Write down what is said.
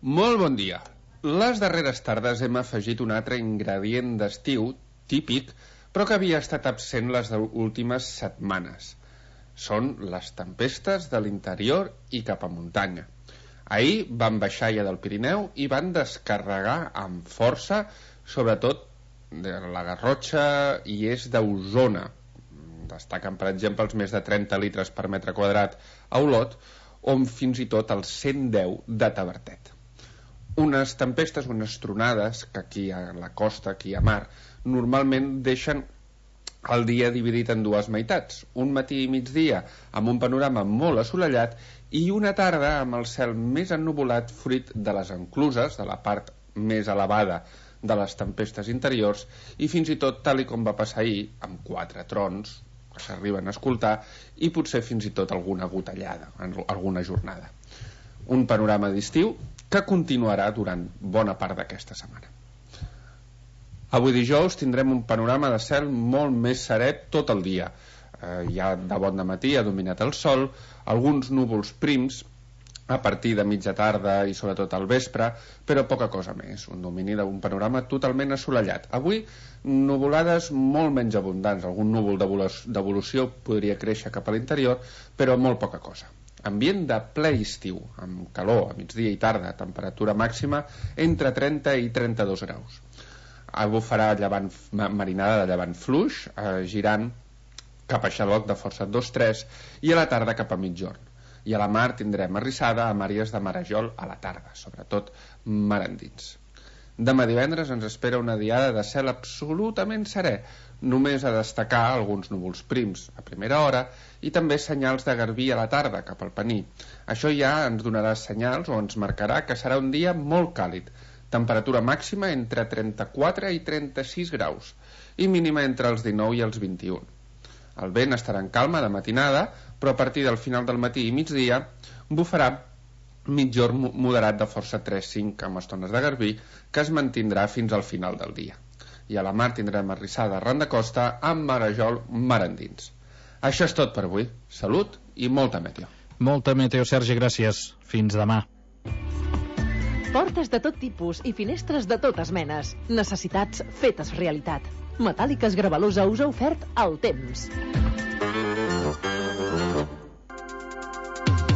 Molt bon dia. Les darreres tardes hem afegit un altre ingredient d'estiu típic, però que havia estat absent les últimes setmanes. Són les tempestes de l'interior i cap a muntanya. Ahir van baixar ja del Pirineu i van descarregar amb força, sobretot de la Garrotxa i est d'Osona. Destaquen, per exemple, els més de 30 litres per metre quadrat a Olot, o fins i tot els 110 de Tavertet. Unes tempestes, unes tronades, que aquí a la costa, aquí a mar, normalment deixen el dia dividit en dues meitats. Un matí i migdia amb un panorama molt assolellat i una tarda amb el cel més ennuvolat fruit de les encluses, de la part més elevada de les tempestes interiors, i fins i tot, tal i com va passar ahir, amb 4 trons que s'arriben a escoltar i potser fins i tot alguna gotellada en alguna jornada. Un panorama d'estiu que continuarà durant bona part d'aquesta setmana. Avui dijous tindrem un panorama de cel molt més serè tot el dia. Ja de bon dematí ha dominat el sol, alguns núvols prims a partir de mitja tarda i sobretot al vespre, però poca cosa més, un domini d'un panorama totalment assolellat. Avui, nuvolades molt menys abundants, algun núvol d'evolució podria créixer cap a l'interior, però molt poca cosa. Ambient de ple estiu, amb calor a migdia i tarda, temperatura màxima entre 30 i 32 graus. Avui farà marinada de llevant fluix, girant cap a xaloc de força 2-3 i a la tarda cap a mitjorn. I a la mar tindrem arrissada amb àrees de marejol a la tarda, sobretot mar endins. Demà divendres ens espera una diada de cel absolutament serè, només a destacar alguns núvols prims a primera hora i també senyals de garbí a la tarda cap al Pení. Això ja ens donarà senyals o ens marcarà que serà un dia molt càlid, temperatura màxima entre 34 i 36 graus i mínima entre els 19 i els 21. El vent estarà en calma de matinada, però a partir del final del matí i migdia bufarà mitjorn moderat de força 3-5 amb estones de garbí que es mantindrà fins al final del dia. I a la mar tindrem arrissada arran de costa amb marejol mar endins. Això és tot per avui. Salut i molta meteo. Molta meteo, Sergi, gràcies. Fins demà. Portes de tot tipus i finestres de totes menes. Necessitats fetes realitat. Metàl·liques Gravalusa us ha ofert el temps.